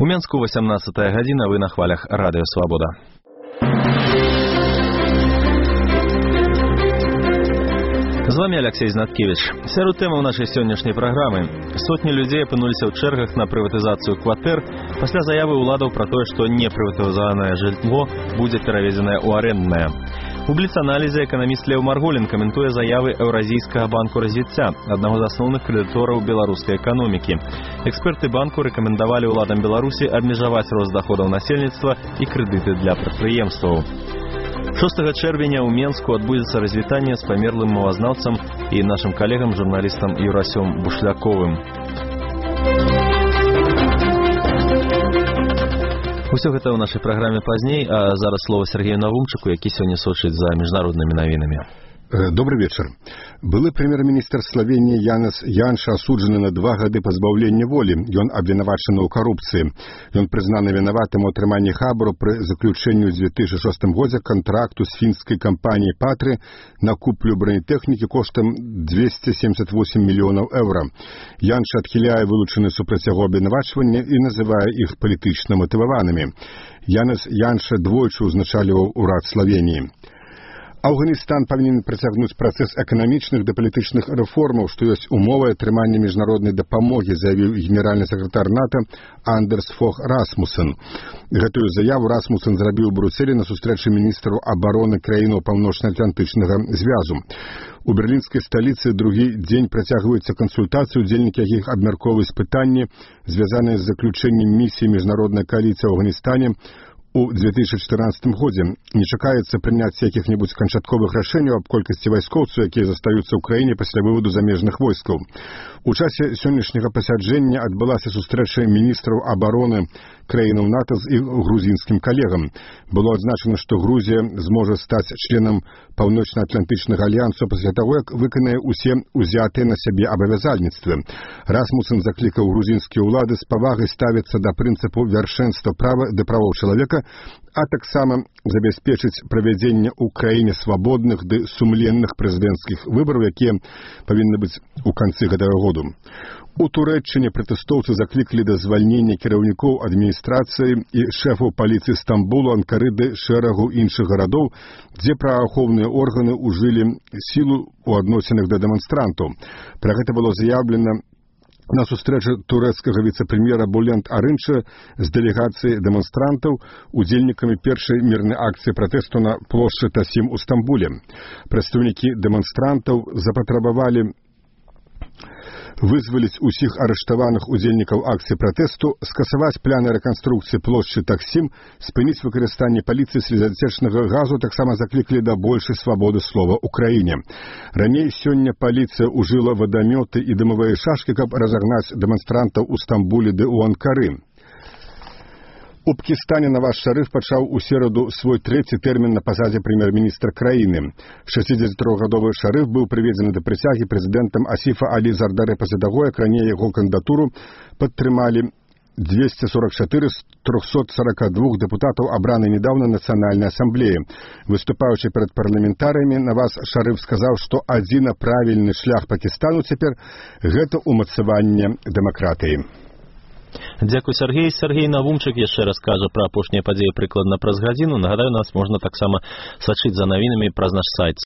У Менску 18 гадзіна, вы на хвалях Радыё Свабода. З вами Алексей Знаткевич. Сярод тэмаў нашай сённяшняй праграмы. Сотні людзей апынуліся ў чэргах на прыватызацыю кватэр пасля заявы ўладаў пра тое, што непрыватызаванае жылло будзе пераведзенае ў арэнднае. У бліц-аналізе эканаміст Леў Марголін каментуе заявы Еўразійскага банку развіцця, аднаго з асноўных крэдытораў беларускай эканомікі. Эксперты банку рэкамендавалі ўладам Беларусі абмежаваць рост даходаў насельніцтва і крэдыты для прадпрыемстваў. 6 чэрвеня ў Менску адбудзецца развітанне з памерлым мовазнаўцам і нашым калегам, журналістам Юрасём Бушляковым. Усё гэта ў нашай праграме пазней, а зараз слова Сергею Навумчыку, які сёння сочыць за міжнароднымі навінамі. Добрый вечер. Былы прэм'ер-міністр Словении Янес Янша асуджаны на 2 гады пазбаўлення волі. Ён абвінавачаны ў карупцыі. Ён прызнаны вінаватым у атрыманні хабару пры заключэнні ў 2006 годзе кантракту з фінскай кампаніяй «Патры» на куплю бронетэхнікі коштам 278 мільёнаў еўра. Янша адхіляе вылучаны супраць яго абвінавачванні і называе іх палітычна матываванымі. Янес Янша двойчы ўзначальваў урад Словении. Афганістан павінен працягнуць працэс эканамічных ды палітычных рэформаў, што ёсць умовай атрымання міжнароднай дапамогі, заявіў генеральны сакратар НАТО Андерс Фог Расмуссен. Гэтую заяву Расмуссен зрабіў у Брюсселі на сустрэчы міністраў абароны краінаў Паўночна-Атлантычнага звязу. У берлінскай сталіцы другі дзень працягваюцца кансультацыі, удзельнікі якіх абмяркоўваюць пытанні, звязаныя з заключэннем місіі міжнароднай кааліцыі ў Афганістане у 2014 годзе. Не чакаецца прыняцце якіх-небудзь канчатковых рашэнняў аб колькасці вайскоўцаў, якія застаюцца ў краіне пасля выводу замежных войскаў. У часе сённяшняга пасяджэння адбылася сустрэча міністраў абароны краінаў НАТО з іх грузінскім калегам. Было адзначана, што Грузія зможа стаць членам Паўночна-Атлантычнага альянсу пасля таго, як выканае усе узятыя на сябе абавязальніцтвы. Расмуссен заклікаў грузінскія ўлады з павагай ставіцца да прынцыпу вяршэнства права ды правоў чалавека, а таксама забяспечыць правядзенне ў краіне свабодных ды сумленных прэзідэнцкіх выбараў, якія павінны быць у канцы гэтага году. У Турэччыне пратэстоўцы заклікалі да звальнення кіраўнікоў адміністрацыі і шэфаў паліцыі Стамбулу, Анкары ды шэрагу іншых гарадоў, дзе праваахоўныя органы ўжылі сілу ў адносінах да дэманстрантаў. Пра гэта было заяўлена на сустрэчы турэцкага віцэ-прэм'ера Булент Арынча з дэлегацыяй дэманстрантаў, удзельнікамі першай мірнай акцыі пратэсту на плошчы Тасім у Стамбуле. Прадстаўнікі дэманстрантаў запатрабавалі вызваліць усіх арыштаваных удзельнікаў акцыі пратэсту, скасаваць пляны рэканструкцыі плошчы Таксім, спыніць выкарыстанне паліцыі слезацячнага газу, таксама заклікалі да большай свабоды слова ў краіне. Раней сёння паліцыя ўжыла вадамёты і дымавыя шашкі, каб разагнаць дэманстрантаў у Стамбуле ды ў Анкары. У Пакістане Наваз Шарыф пачаў у сераду свой 3-й тэрмін на пасадзе прэм'ер-міністра краіны. 63-гадовы Шарыф быў прыведзены да прысягі прэзідэнтам Асіфа Алі Зардаре пасля таго, як раней яго кандыдатуру падтрымалі 244 з 342 депутатаў, абранай нядаўна Нацыянальнай асамблеі. Выступаючы перад парламентарыямі, Наваз Шарыф сказаў, што адзіна правільны шлях Пакістану цяпер – гэта ўмацаванне дэмакратыі. Дзякуй, Сергей. Сергей Навумчык яшчэ раз кажа пра апошнія падзеі прыкладна праз гадзіну. Нагадаю, нас можна таксама сачыць за навінамі праз наш сайт